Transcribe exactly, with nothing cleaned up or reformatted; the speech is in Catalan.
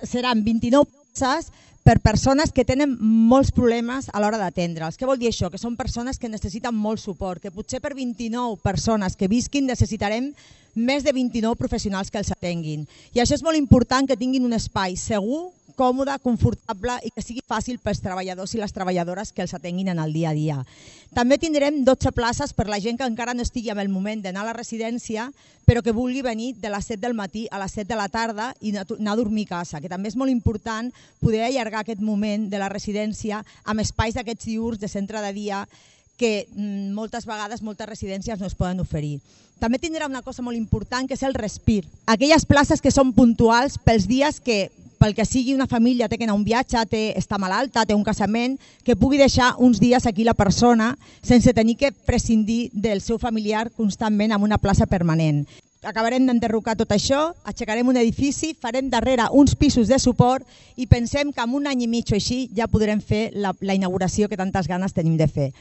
seran vint-i-nou places per persones que tenen molts problemes a l'hora d'atendre'ls. Què vol dir això? Que són persones que necessiten molt suport, que potser per vint-i-nou persones que visquin necessitarem més de vint-i-nou professionals que els atenguin. I això és molt important, que tinguin un espai segur, còmode, confortable i que sigui fàcil pels treballadors i les treballadores que els atenguin en el dia a dia. També tindrem dotze places per la gent que encara no estigui en el moment d'anar a la residència, però que vulgui venir de les set del matí a les set de la tarda i anar a dormir a casa, que també és molt important poder allargar aquest moment de la residència amb espais d'aquests diürns de centre de dia que moltes vegades moltes residències no es poden oferir. També tindrà una cosa molt important, que és el respir. Aquelles places que són puntuals pels dies que, pel que sigui, una família té que anar a un viatge, té, està malalta, té un casament, que pugui deixar uns dies aquí la persona sense tenir que prescindir del seu familiar constantment en una plaça permanent. Acabarem d'enderrocar tot això, aixecarem un edifici, farem darrere uns pisos de suport i pensem que en un any i mig o així ja podrem fer la, la inauguració que tantes ganes tenim de fer.